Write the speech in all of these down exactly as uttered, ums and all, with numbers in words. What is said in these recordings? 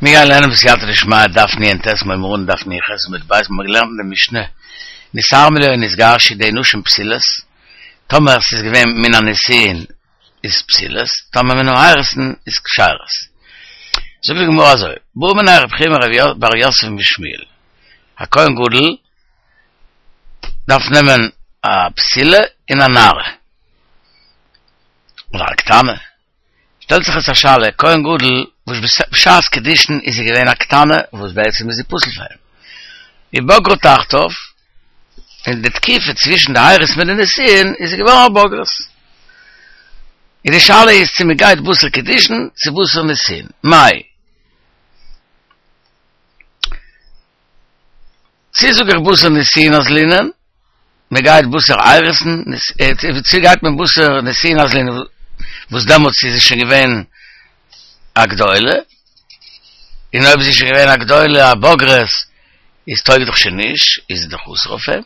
מיר גייען לערנען בסייעתא דשמיא דף נ"ט מיר הייבן אן דף נ"ח עמוד ב' מיר האבן געלערנט אין די משנה נתארמלה או נתגרשה ידי נשים פסולות, טאמער ס'איז געווען מן הנישואין איז פסולות, טאמער מן האירוסין איז כשרות. זאגט די גמרא אזוי, בעא מיניה רב חייא בר יוסף משמואל, א כהן גדול דארף נעמען א בתולה און א נערה, אדער א קטנה, שטעלט זיך עס א שאלה, כהן גדול וואס בשעת קידושין איז זי געווען א קטנה וואס בעצם איז זי פסול פאר אים, ובגרה תחתיו, אין די תקופה צווישן די אירוסין מיט די נישואין איז זי געווארן א בוגרת. איז די שאלה איז צו מען גייט בתר קידושין צו בתר נישואין, מאי? צו זאג איך בתר נישואין אזלינן, מען גייט בתר אירוסין, צו גייט מען בתר נישואין אזלינן וואס דעמאלטס איז זי שוין געווען א גדולה, און אויב איז זי שוין געווען א גדולה א בוגרת איז טויג דאך שוין נישט, איז זי דאך אסור אויף אים,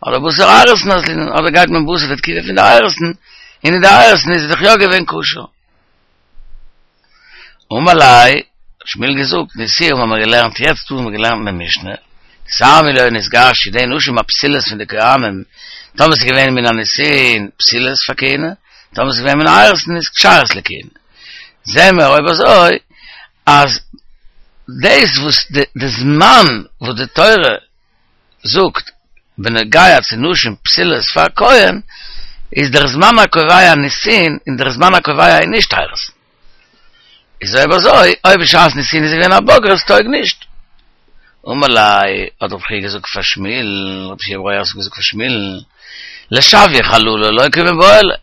אדער בתר אירוסין אזלינן, אדער גייט מען בתר די תקופה פון די אירוסין, און אין די אירוסין איז זי דאך יא געווען כשר. אמר ליה, האט שמואל געזאגט, תניתוה האבן מיר געלערנט יעצט דא האבן מיר געלערנט אין די משנה, נתארמלה או נתגרשה ידי נשים הפסולות פון די כהנים, טאמער ס'איז געווען מן הנישואין פסולות פאר כהונה, טאמער ס'איז געווען מן האירוסין איז כשרות לכהונה. זעהן מיר אויב אזוי אז דאס וואס די זמן וואס די תורה זאגט בנוגע צו נשים פסולות פאר כהן איז דער זמן הקובע נישואין און דער זמן הקובע איז נישט אירוסין. איז אויב אזוי אויב בשעת נישואין איז געווען א בוגרת טויג נישט. אמר ליה האט רב חייא געזאגט פאר שמואל, רב חייא בר יוסף האט געזאגט פאר שמואל, לשויי חללה לא קמיבעיא ליה.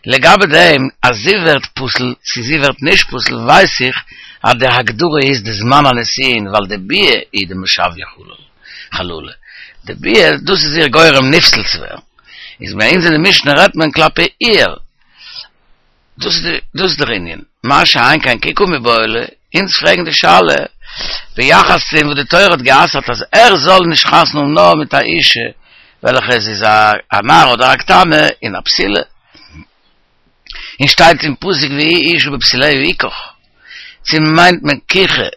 לגבי דעם אז זי ווערט פסול צו זי ווערט נישט פסול ווייס איך אז די הגדרה איז די זמן הנישואין ווייל די ביאה איז די משויה חללה, די ביאה דאס איז איר גורם נפסל צו ווערן, איז ביי אונז אין די משנה רעדט מען כלפי איר, דאס איז דאס איז דער ענין, מה שאין כן כי קמיבעיא ליה, אונז פרעגן די שאלה ביחס צו דעם וואס די תורה האט גע'אסר'ט אז ער זאל נישט חתונה האבן נאר מיט א אישה וועלכע עס איז א נערה אדער א קטנה און א בתולה, און שטייט אין פסוק והוא אשה בבתוליה יקח, צו מיינט מען קיחה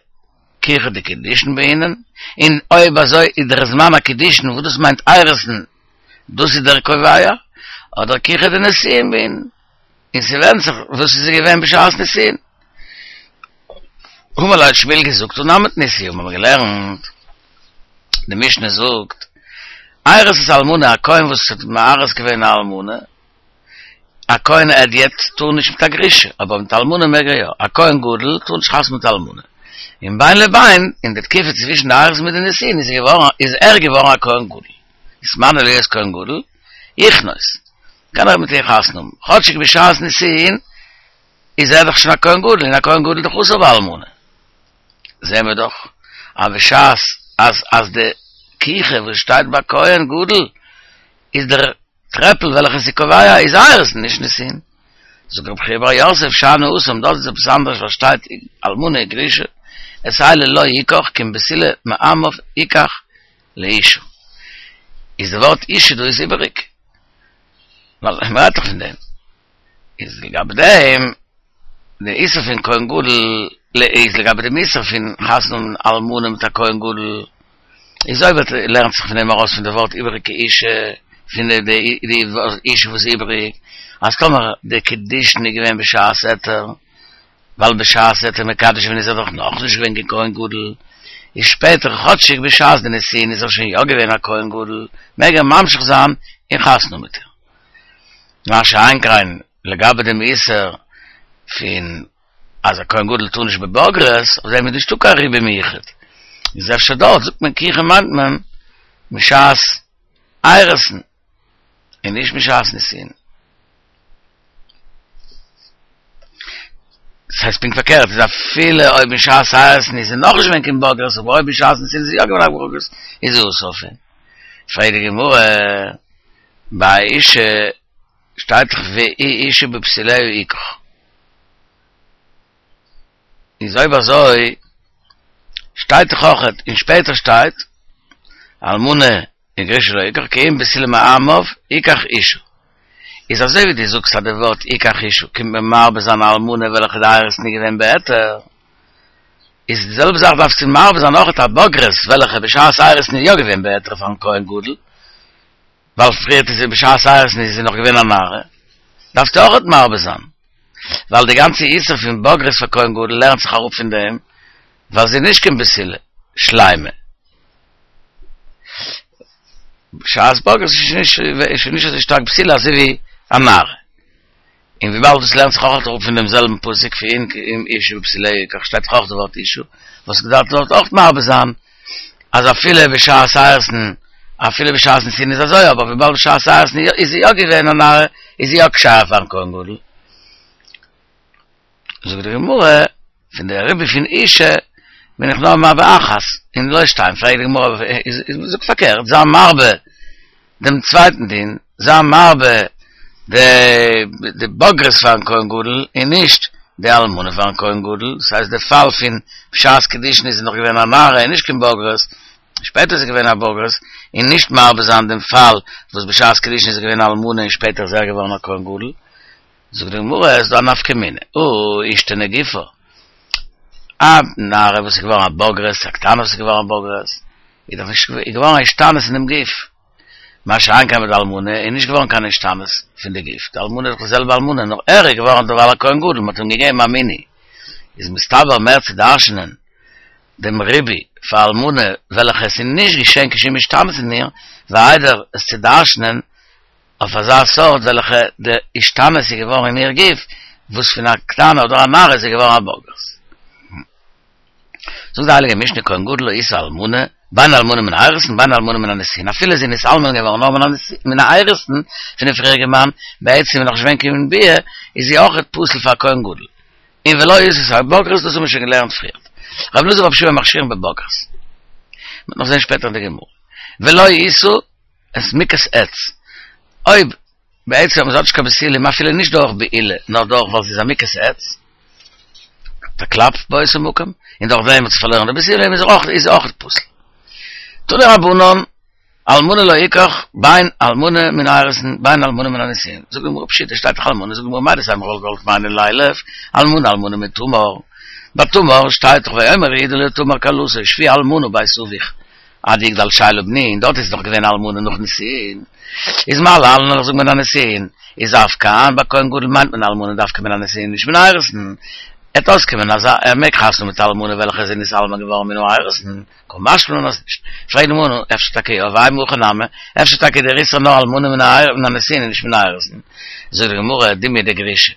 קיחה דקידושין בעינן, און אויב אזוי איז דער זמן הקידושין וואס דאס מיינט אירוסין דאס איז דער קובע, אדער קיחה דנישואין בעינן, און ס'ווענדט זיך וואס איז געווען בשעת נישואין. אמר ליה האט שמואל געזאגט הא נמי תניתוה האבן מיר געלערנט, די משנה זאגט, ארס את האלמנה, א כהן וואס האט מארס געווען א אלמנה, א כהן הדיוט טאר נישט מיט א גרושה, אבער מיט אלמנה מעג ער יא, א כהן גדול טאר נישט חתונה מיט אלמנה, און בין לבין, אין די תקופה צווישן די אירוסין מיט די נישואין איז געווארן איז ער געווארן א כהן גדול, נתמנה להיות כהן גדול, יכנוס, קען ער מיט איר חתונה האבן, כאטשיג בשעת נישואין איז ער דאך שוין א כהן גדול, און א כהן גדול איז דאך אסור באלמנה. זעהן מיר דאך אז בשעת אז אז די קיחה וואס שטייט ביי כהן גדול איז דער טרעפל וועלכע איז קובע איז אירוסין נישט נישואין. זאגט רב חייא בר יוסף שאני התם דארט איז עפעס אנדערש ווייל שטייט אלמנה וגרושה את אלה לא יקח כי אם בתולה מעמיו יקח לאשה. איז די ווארט אשה דא איז איבעריג ווייל מ'רעדט דאך פון דעם. איז לגבי דעם די איסור פון כהן גדול איז לגבי דעם איסור פון חתונה האבן אלמנה מיט א כהן גדול איז אויב ער לערנט זיך פון דעם ארויס פון די ווארט איבעריגע אשה פון די די אשה וואס איז איבעריג אז טאמער די קידושין איז געווען בשעת היתר ווייל בשעת ער האט איר מקדש געווען איז ער דאך נאכנישט געווען קיין כהן גדול איז שפעטער כאטשיג בשעת די נישואין איז ער שוין יא געווען א כהן גדול מעג ער ממשיך זיין און חתונה מיט איר. מה שאין כן לגבי דעם איסור פון אז א כהן גדול טאר נישט בבוגרת, אויף דעם איז נישטא קיין ריבוי מיוחד, איז אפשר דארט זאגט מען קיחה מיינט מען משעת אירוסין און נישט משעת נישואין. דאס הייסט פונקט פארקערט, איז אפילו אויב משעת אירוסין איז זי נאכנישט געווען קיין בוגרת, אבער אויב בשעת נישואין איז זי יא געווען א בוגרת, איז זי אסור אויף אים. פרעגט די גמרא. ביי אשה שטייט דאך והוא אשה בבתוליה יקח. איז אויב אזוי שטייט דאך אויכעט און שפעטער שטייט אלמנה וגרושה לא יקח כי אם בתולה מעמיו יקח אשה. איז אזוי ווי דו זאגסט אז די ווארט יקח אשה קומט מען מרבה זיין א אלמנה וועלכע די אירוסין איז געווען בהיתר. איז די זעלבע זאך דארפסטו מרבה זיין אויך א בוגרת, וועלכע בשעת אירוסין איז יא געווען בהיתר פארן כהן גדול, ווייל פריערט איז זי בשעת אירוסין איז זי נאך געווען א נערה, דארפסטו אויך מרבה זיין, ווייל די גאנצע איסור פון בוגרת פאר כהן גדול לערנט זיך אראפ פון דעם, ווייל זי איז נישט קיין בתולה שלימה. בשעת בוגרת איז שוין נישט איז שוין נישט אזוי שטארק בתולה אזוי ווי א נערה. און וויבאלד דאס לערנט זיך אויך אראפ פון דעם זעלבן פסוק פון אם אשה בבתוליה יקח שטייט דאך אויך די ווארט אשה, וואלסטו געדארפט דארט אויך מרבה זיין אז אפילו בשעת אירוסין אפילו בשעת נישואין איז אזוי אבער וויבאלד בשעת אירוסין איז זי יא געווען א נערה איז זי יא כשר פארן כהן גדול. זאגט די גמרא, פון די ריבוי פון אשה בין איך נאר מרבה אחת און לא שתיים, פרעגט די גמרא, זאג פארקערט, זיי מרבה דעם צווייטן דין, זיי מרבה די בוגרת פארן כהן גדול און נישט די אלמנה פארן כהן גדול, דאס הייסט די פאל פון בשעת קידושין איז זי נאך געווען א נערה און נישט קיין בוגרת, שפעטער איז זי געווען א בוגרת, און נישט מרבה זיין דעם פאל וואס בשעת קידושין איז זי געווען א אלמנה און שפעטער איז ער געווארן א כהן גדול. זאגט די גמרא, עס איז דא א נפקא מינה, הא אישתני גופה, א נערה וואס איז געווארן א בוגרת, א קטנה וואס איז געווארן א בוגרת, איז דאך נישט געווארן א השתנות אין דעם גוף, מה שאין כן ביי די אלמנה איז נישט געווארן קיין השתנות פון די גוף, די אלמנה איז דאך די זעלבע אלמנה, נאר ער איז געווארן דערווייל א כהן גדול, מען האט אים געגעבן א מינוי, איז מסתבר מער צו דרש'נען דעם ריבוי פאר אלמנה וועלכע עס איז נישט געשען קיין שום השתנות אין איר, ווי איידער עס צו דרש'נען אויף אזא סארט וועלכע די השתנות איז געווארן אין איר גוף, וואס פון א קטנה אדער א נערה איז זי געווארן א בוגרת. זאגט די הייליגע משנה כהן גדול לא ישא אלמנה, בין אלמנה מן האירוסין בין אלמנה מן הנישואין, אפילו זי איז נתאלמן געווארן נאר מן האירוסין פונעם פריעריגן מאן, בעצם איז נאך נישט געווען קיין ביאה, איז זי אויכעט פסול פאר כהן גדול. און ולא ישא את הבוגרת, דאס האבן מיר שוין געלערנט פריערט. רבי אלעזר ורבי שמעון מכשירין בבוגרת. מ'וועט נאך זען שפעטער אין די גמרא. ולא ישא את מוכת עץ. אויב בעצם זי האט נישט קיין בתולים אפילו נישט דורך בעילה נאר דורך ווייל זי איז א מוכת עץ, א קלאפ באותו מקום, און דורך דעם האט זי פארלוירן די בתולים איז אויך איז אויך פסול. תנו רבנן, אלמנה לא יקח בין אלמנה מן האירוסין בין אלמנה מן הנישואין, זאגט די גמרא פשיטא שטייט דאך אלמנה, זאגט די גמרא מהו דתימא כ'וואלט געוואלט מיינען לילף, אלמנה אלמנה מתמר, ביי תמר שטייט דאך ויאמר יהודה לתמר כלתו שבי אלמנה בית אביך עד יגדל שלה בני, און דארט איז נאך געווען אלמנה נאך נישואין, איז מה להלן איך זאג מן הנישואין, איז אף כאן ביי כהן גדול מיינט מען אלמנה דווקא מן הנישואין נישט מן האירוסין, עט אויסקומען אז ער מעג חתונה מיט אלמנה וועלכע איז נתאלמן געווארן מן האירוסין, קא משמע לן אז נישט. פרעגט די גמרא, אפשר טאקע יא, ואימא הכי נמי, אפשר טאקע דער איסור נאר אלמנה מן הנישואין און נישט מן האירוסין. זאגט די גמרא, דומיא דגרושה,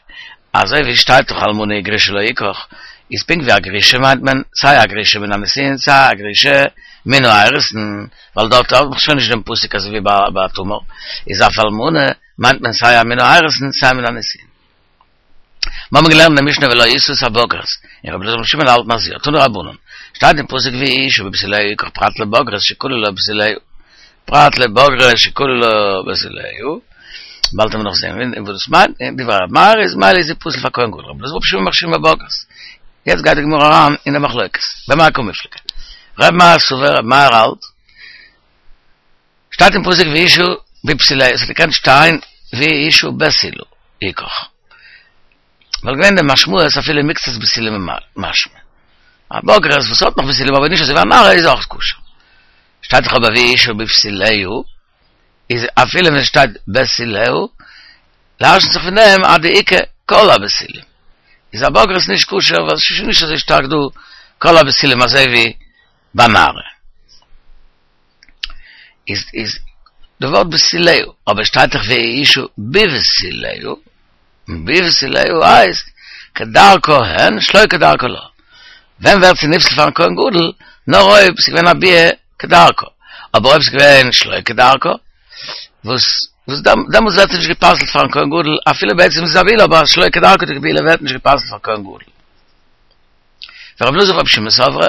אזוי ווי שטייט דאך אלמנה וגרושה לא יקח, איז פונקט ווי א גרושה מיינט מען סיי א גרושה מן הנישואין סיי א גרושה מן האירוסין, ווייל דארט האט מען שוין נישט דעם פסוק אזוי ווי ביי תמר, איז אף אלמנה מיינט מען סיי א מן האירוסין סיי מן הנישואין. מיר האבן געלערנט אין די משנה ולא ישא את הבוגרת, און רבי אלעזר ברבי שמעון האלטן אז יא, תנו רבנן, שטייט אין פסוק ואשה בבתוליה יקח פרט לבוגרת שכלו לה בתוליה, פרט לבוגרת שכלו לה בתוליה, באלד וועלן מיר נאך זען וואס דאס מיינט, און דברי רבי מאיר איז ממילא איז זי פסול פאר כהן גדול, רבי אלעזר ברבי שמעון מכשירין בבוגרת. יעצט גייט די גמרא אריין אין די מחלוקת, במאי קמיפלגי? רבי מאיר סבר, רבי מאיר האלט, שטייט אין פסוק ואשה בבתוליה, עס האט געקענט שטיין ואשה בתולה יקח. וואלט געווען די משמעות אפילו מקצת בתולים משמע. א בוגרת וואס האט נאך בתולים אבער נישט אזוי ווי א נערה איז אויך כשר. שטייט דאך אבער ואשה בבתוליה, איז אפילו ווען עס שטייט בתוליה, דרש'נט זיך פון דעם אז דאיכא כל הבתולים. איז א בוגרת נישט כשר ווייל עס איז שוין נישט אזוי שטארק דא כל הבתולים אזוי ווי ביי נערה. איז איז די ווארט בתוליה, אבער שטייט דאך ואשה בבתוליה, בבתוליה הייסט כדרכה אין שלא כדרכה לא. ווען ווערט זי נפסל פארן כהן גדול? נאר אויב ס'איז געווען א ביאה כדרכה, אבער אויב ס'איז געווען שלא כדרכה, וואס וואס דעמאלטס ווערט זי נישט גע'פסל'ט פארן כהן גדול, אפילו בעצם איז עס א בעילה, אבער א שלא כדרכה'דיגע בעילה ווערט נישט גע'פסל'ט פארן כהן גדול. ורבי אלעזר ברבי שמעון סברי,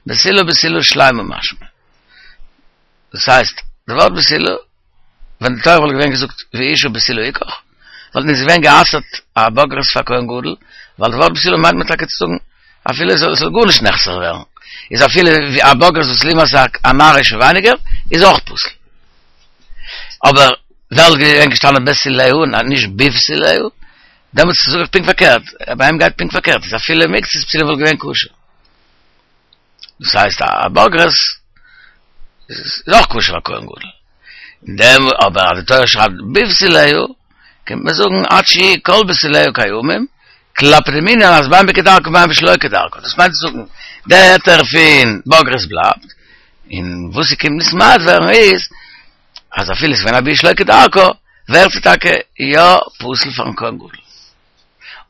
בתולה בתולה שלימה משמע. דאס הייסט, די ווארט בתולה, ווען די תורה וואלט געווען געזאגט ואשה בתולה יקח, וואלט נישט געווען גע'אסר'ט א בוגרת פאר כהן גדול, ווייל די ווארט בתולה מיינט מען טאקע צו זאגן אפילו עס זאל גארנישט נחסר ווערן, איז אפילו ווי א בוגרת וואס לעומת א נערה איז שוין ווייניגער, איז אויך פסול. אבער וואלט געווען געשטאנען בתוליה און נישט בבתוליה, דעמאלטס זאג איך פונקט פארקערט, ביי אים גייט פונקט פארקערט, איז אפילו מקצת בתולים וואלט געווען כשר. דאס הייסט א בוגרת איז אויך כשר פאר כהן גדול. אין דעם אבער די תורה שרייבט בבתוליה, קומט מען זאגן עד שיהיו כל בתוליה קיימים, כלפי דעם ענין אז בין בכדרכה בין בשלא כדרכה. דאס מיינט צו זאגן, דער היתר פון בוגרת בלייבט, און וואס ס'קומט נתמעט ווערן איז, אז אפילו ס'איז געווען א ביאה שלא כדרכה, ווערט זי טאקע יא פסול פארן כהן גדול.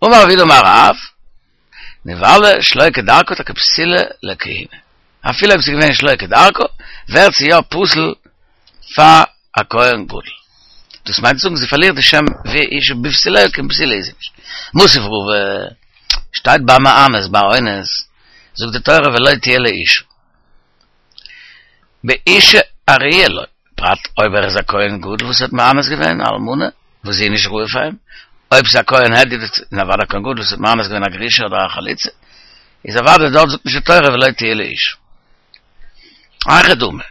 אמר רב יהודה אמר רב, נבעלה שלא כדרכה טאקע פסולה לכהונה. אפילו אויב ס'איז געווען שלא כדרכה, ווערט זי יא פסול פאר א כהן גדול. דאס מיינט צו זאגן זי פארלירט די שם ואשה בבתוליה, קיין בתולה איז זי נישט. מתיב רבא, שטייט ביי מאנס, ביי אונס, זאגט די תורה ולא תהיה לאשה. באשה הראויה לו, פרט אויב ער איז א כהן גדול וואס האט מאנס געווען א אלמנה וואס זי איז נישט ראוי פאר אים, אויב ס'איז א כהן הדיוט און אוודאי א כהן גדול וואס האט מאנס געווען א גרושה אדער א חלוצה, איז אוודאי דארט זאגט נישט די תורה ולא תהיה לאשה. היכי דמי,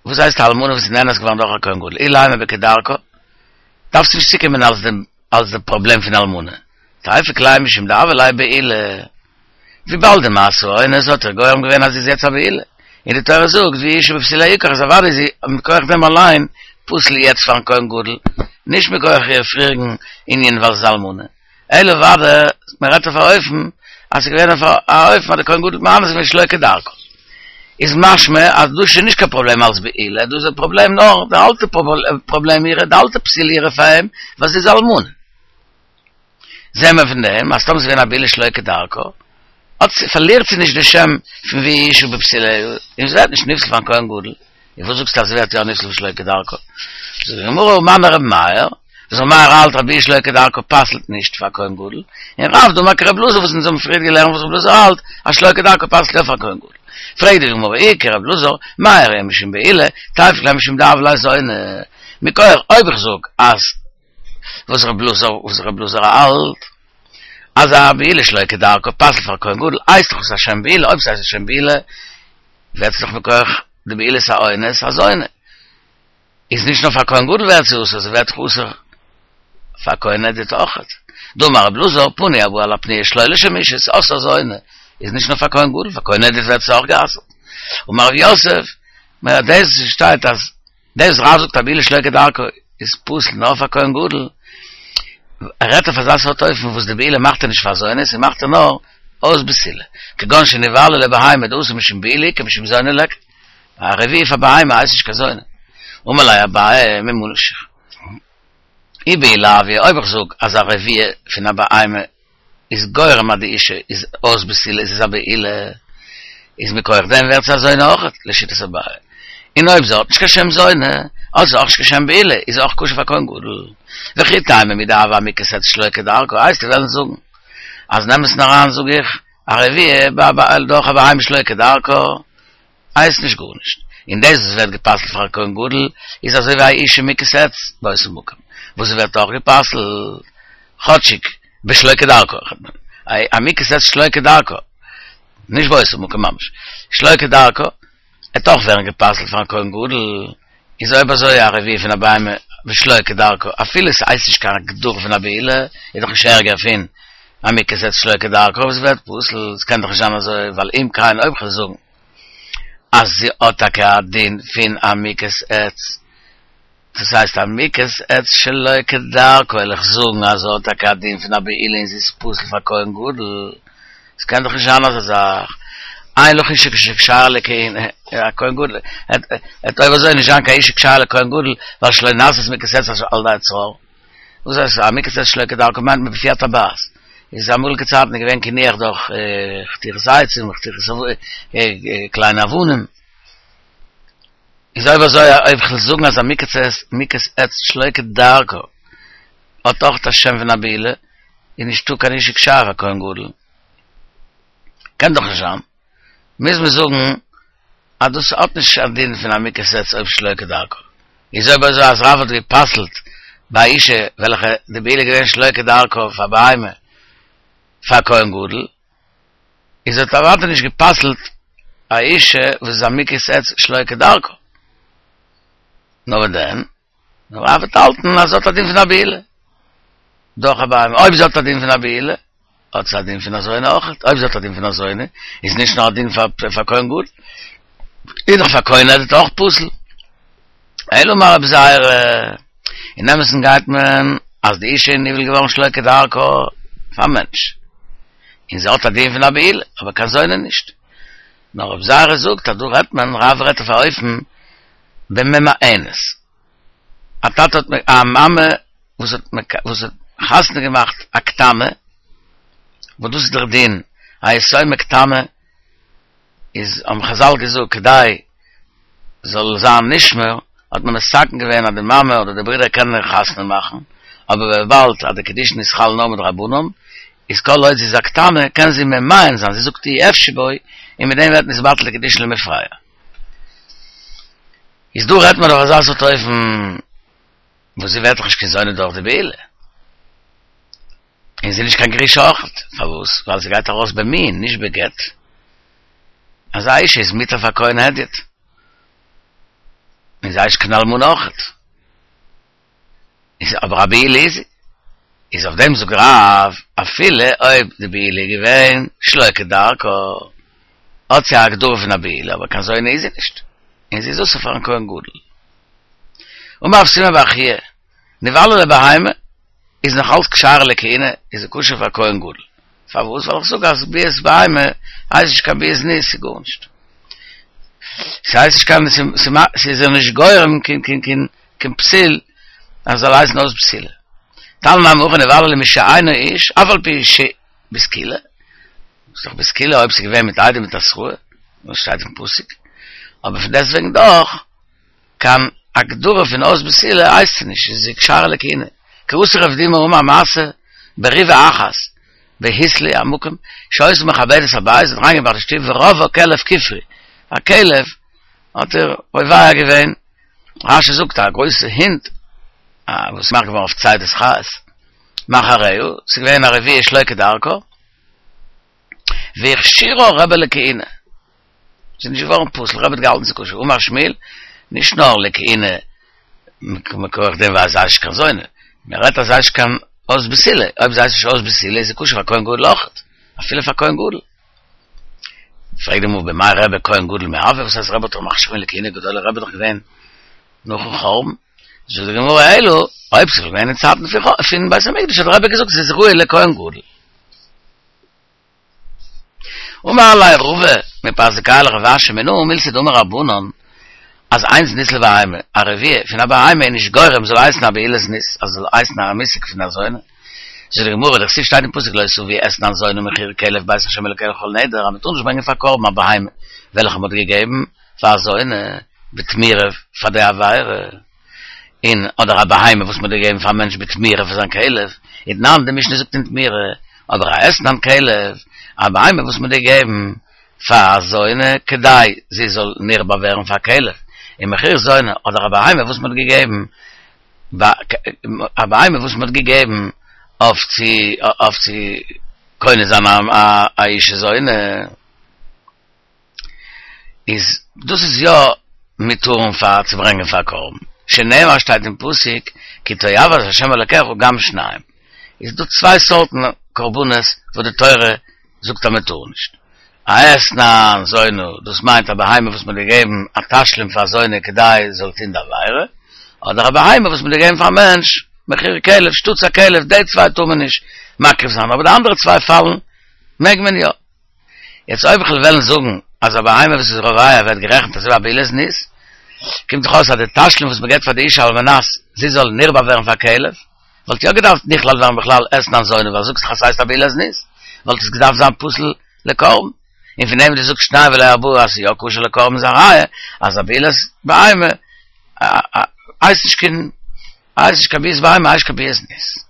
וואס הייסט א אלמנה וואס איז נאנס געווארן דורך א כהן גדול, אילימא בכדרכה, דארפסטו נישט צוקומען אלס דעם אלס די פראבלעם פון אלמנה, תיפוק ליה משום דהוה ליה בעולה, וויבאלד די מעשה האונס האט איר גורם געווען אז זי איז יעצט א בעולה, און די תורה זאגט והיא אשה בבתוליה יקח איז אוודאי איז זי מכח דעם אליין פסול יעצט פארן כהן גדול, נישט מכח איר פריעריגן ענין ווייל זי איז אלמנה, אלא אוודאי מען רעדט אויף א אופן אז ס'איז געווען אויף א אופן אז די כהן גדול האט מאנס געווען שלא כדרכה. איז משמע אז דאס איז שוין נישט קיין פראבלעם אלס בעילה, דאס איז א פראבלעם נאר די אלטע פראבלעם אירע, די אלטע פסילה אירע פאר אים, ווייל זי איז אלמנה. זעהן מיר פון דעם אז טאמער ס'איז געווען א בעילה שלא כדרכה, האט זי, פארלירט זי נישט די שם פון והיא אשה בבתוליה, און זי ווערט נישט נפסל פארן כהן גדול. און וואס זאגסטו אז זי ווערט יא נפסל שלא כדרכה? זאגט די גמרא ומני רבי מאיר, וואס רבי מאיר האלט אז ביאה שלא כדרכה פסל'ט נישט פאר כהן גדול, און רב דאמר כרבי אלעזר וואס אונז האבן פריער געלערנט וואס רבי אלעזר האלט אז שלא כדרכה פסל'ט יא פאר כהן גדול. פרעגט די גמרא אי כרבי אלעזר, מאי איריא משום בעילה, תיפוק ליה משום דהוה ליה זונה, מכח אויב איך זאג אז וואס רבי אלעזר וואס רבי אלעזר האלט אז א בעילה שלא כדרכה פסל'ט פאר כהן גדול הייסט דאך עס א שם בעילה, אויב ס'הייסט א שם בעילה ווערט עס דאך מכח די בעילת האונס א זונה. איז נישט נאר פאר כהן גדול ווערט זי אסור, זי ווערט דאך אסור פאר כהן הדיוט אויכעט. דאמר רבי אלעזר, פנוי הבא על הפנויה שלא לשם אישות, עשאה זונה, איז נישט נאר פאר כהן גדול, פאר כהן הדיוט ווערט עס אויך גע'אסר'ט. אמר רב יוסף, מען דאס שטייט אז דאס רב זאגט א בעילה שלא כדרכה איז פסול נאר פאר כהן גדול, ער רעדט אויף אזא סארט אופן וואס די בעילה מאכט ער נישט פאר זונה, ס'מאכט ער נאר אויס בתולה, כגון שנבעלה לבהמה דאתי משום בעילה איכא משום זונה ליכא, א רביעי פאר בהמה הייסט נישט קיין זונה. אמר ליה אביי ממה נפשך. אי בעילה הויא, אויב איך זאג אז א רביעה פון א בהמה איז גורם אז די אישה איז אויס בתולה איז עס א בעילה, איז מכח דעם ווערט זי א זונה אויכעט, לשיטת אביי. און אויב זי האט נישט קיין שם זונה, האט זי אויך נישט קיין שם בעילה, איז זי אויך כשר פאר כהן גדול. וכי תימא מדהוה אמוכת עץ שלא כדרכה, וועסטו וועלן זאגן אז אין אמת'ן אריין זאג איך א רביעה דורך א בהמה שלא כדרכה, הייסט נישט גארנישט, און דאס וואס ווערט גע'פסל'ט פאר א כהן גדול איז אזוי ווי א אישה מוכת עץ באותו מקום וואס זי ווערט אויך גע'פסל'ט, כאטשיג בשלא כדרכה, א מוכת עץ שלא כדרכה, נישט באותו מקום ממש, שלא כדרכה, וועט אויך ווערן גע'פסל'ט פאר'ן כהן גדול, איז אויב אזוי א רביעה פון א בהמה בשלא כדרכה, אפילו ס'הייסט נישט קיין הגדרה פון א בעילה, איז דאך נישט ערגער פון א מוכת עץ שלא כדרכה וואס ווערט פסול, ס'קען דאך נישט זיין אזוי, ווייל אם כן אויב כ'וועל זאגן אז זי האט טאקע א דין פון א מוכת עץ, דאס הייסט א מוכת עץ שלא כדרכה, וועל איך זאגן אז זי האט טאקע א דין פון א בעילה און זי איז פסול פאר כהן גדול, ס'קען דאך נישט זיין אזא זאך, אין לך אשה כשרה לכהונה, א כהן גדול, וועט אויב אזוי נישט זיין קיין אשה כשרה לכהן גדול, ווייל שלא נעשית מוכת עץ על ידי צרור. וואס הייסט א מוכת עץ שלא כדרכה מיינט מען בפי הטבעת. איז אמאליגע צייטן איז געווען קינוח דורך חתיכות עצים, חתיכות קליינע אבנים. איז אויב אזוי אויב כ'וועל זאגן אז א מוכת עץ מוכת עץ שלא כדרכה האט אויך א שם פון א בעילה, איז נישטא קיין אשה כשרה פאר כהן גדול. קען דאך נישט זיין. מוז מען זאגן אז דאס האט נישט א דין פון א מוכת עץ אויב שלא כדרכה. איז אויב אזוי אז רב האט גע'פסל'ט ביי א אישה וועלכע די בעילה איז געווען שלא כדרכה פאר בהמה פאר כהן גדול, איז האט אוודאי נישט גע'פסל'ט א אישה וואס איז א מוכת עץ שלא כדרכה. נאר וואס דען? נאר רב וועט האלטן אז זי האט א דין פון א בעילה דורך א בהמה. אויב זי האט א דין פון א בעילה, האט זי א דין פון א זונה אויך, אויב זי האט א דין פון א זונה, איז נישט נאר א דין פאר פאר כהן גדול, איז דאך פאר כהן הדיוט אויך פסול. אלא אמר רבי זירא, אין אמת'ן גייט מען אז די אישה איז נבעל געווארן שלא כדרכה פאר א מענטש, און זי האט א דין פון א בעולה, אבער קיין זונה נישט. נאר רבי זירא זאגט אז דא רעדט מען, רב רעדט אויף א אופן בממאנת. א טאטע האט א מאמע וואס האט וואס האט חתונה געמאכט א קטנה, וואס דאס איז דער דין, א יתומה קטנה, איז האבן חזל געזאגט כדי זאל זיין נשמר, האט מען מתקן געווען אז די מאמע אדער די ברודער קענען איר חתונה מאכן, אבער וויבאלד אז די קידושין איז חל נאר מדרבנן, איז כל עוד זי איז א קטנה קען זי ממאן זיין, זי זאגט אי אפשי בו, און מיט דעם ווערט נתבטל די קידושין למפרע. איז דא רעדט מען אויף אזא סארט אופן וואס זי ווערט דאך נישט קיין זונה דורך די בעילה. און זי איז נישט קיין גרושה אויכעט, פארוואס? ווייל זי גייט ארויס במיאון, נישט בגט. אזא אישה איז מותר פאר כהן הדיוט. און זי הייסט קיין אלמנה אויכעט. איז אבער א בעולה איז זי. איז אויף דעם זאגט רב, אפילו אויב די בעילה איז געווען שלא כדרכה, האט זי א הגדרה פון א בעולה, אבער קיין זונה איז זי נישט, און זי איז אסור פארן כהן גדול. אמר רב סימון בר חייא, נבעלה לבהמה, איז נאך אלץ כשרה לכהונה, איז זי כשר פאר כהן גדול. פארוואס? ווייל איך זאג אז ביאת בהמה הייסט נישט קיין ביאת זנות, ס'איז גארנישט. ס'הייסט נישט קיין, ס'איז איר נישט גורם קיין קיין קיין קיין פסול אז זאל הייסן אויס בתולה. תניא נמי הכי נבעלה למי שאינו איש, אף על פי שבסקילה, ס'איז דאך בסקילה אויב ס'איז געווען מיט עדים מיט התראה, וואס שטייט אין פסוק, אבער פון דעסטוועגן דאך, קיין הגדרה פון אויס בתולה הייסט עס נישט, איז זי כשרה לכהונה. כי אתא רב דימי אמר מעשה בריבה אחת בהיתלוי המקום שהיתה מכבדת הבית האט אריינגעבראכט די שטוב ורבעה כלב כופרי א כלב האט איר רובע געווען רשי זאגט א גרויסע הונט וואס איז געמאכט געווארן אויף צידת חיות מאחריה ס'איז געווען א רביעה שלא כדרכה והכשירה רבי לכהונה ס'איז נישט געווארן פסול, רבי האט געהאלטן ס'איז כשר, אמר שמואל, נישט נאר לכהונה מכח דעם ווייל זי הייסט נישט קיין זונה, מען רעדט אז זי הייסט נישט קיין אויס בתולה, אויב זי הייסט נישט אויס בתולה איז זי כשר פאר כהן גדול אויכעט, אפילו פאר כהן גדול. פרעגט די גמרא במאי רבי כהן גדול מי הוה, וואס הייסט רבי האט דאך מכשיר געווען לכהונה גדולה, רבי איז דאך געווען נאכן חורבן, זאגט די גמרא אלא, אויב ס'איז געווען אין צייטן פון בית המקדש האט רבי געזאגט ס'איז ראוי לכהן גדול. אמר ליה רבא מפרסיקיא לרב אשי מנא מילתא דאמור רבנן אז אין זנות לבהמה, א רביעה פון א בהמה איז נישט גורם זאל הייסן א בעילת זנות, אז זאל הייסן א מושג פון א זונה. זאגט די גמרא, דכתיב שטייט אין פסוק לא תביא אתנן זונה מחיר כלב בית ה' אלקיך לכל נדר אז מען טאר נישט ברענגען פאר קרבן א בהמה וועלכע מען האט געגעבן פאר א זונה בתמורה פאר די עבירה. און אדער א בהמה וואס מען האט געגעבן פאר א מענטש בתמורה פאר זיין כלב, ותנן די משנה זאגט אין תמורה, אבער א אתנן כלב, א בהמה וואס מען האט געגעבן פאר א זונה כדי זי זאל נרבע ווערן פאר כלב, ומחיר זונה, אדער א בהמה וואס מען האט געגעבן א בהמה וואס מען האט געגעבן אויף צו אויף צו קונה זיין א אישה זונה. איז דאס איז יא מותר'ן פאר צו ברענגען פאר קרבן, שנאמר שטייט אין פסוק כי תועבת ה' אלקיך גם שניים, איז דא צוויי סארטן קרבנות וואס די תורה זאגט אז מען טאר נישט, א אתנן זונה, דאס מיינט א בהמה וואס מען האט געגעבן א תשלום פאר א זונה כדי זי זאל טון די עבירה, אדער א בהמה וואס מען האט געגעבן פאר א מענטש מחיר כלב שטאטס א כלב, די צוויי טאר מען נישט מקריב זיין, אבער די אנדערע צוויי פאלן מעג מען יא. יעצט אויב איך וועל וועלן זאגן אז א בהמה וואס איז רובע ווערט גערעכנט אזוי ווי א בעילת זנות, קומט דאך אויס אז די תשלום וואס מען געבט פאר די אישה על מנת זי זאל נרבע ווערן פאר כלב, וואלט יא געדארפט נכלל ווערן בכלל אתנן זונה ווייל זאגסט דאך אז ס'הייסט א בעילת זנות, וואלט עס געדארפט זיין פסול לקרבן, און פון דעם וואס דו זאגסט שניים ולא ארבעה אז ס'איז יא כשר לקרבן איז א ראיה אז א בעילת בהמה הייסט נישט קיין הייסט נישט קיין ביאת בהמה הייסט נישט קיין בעילת זנות.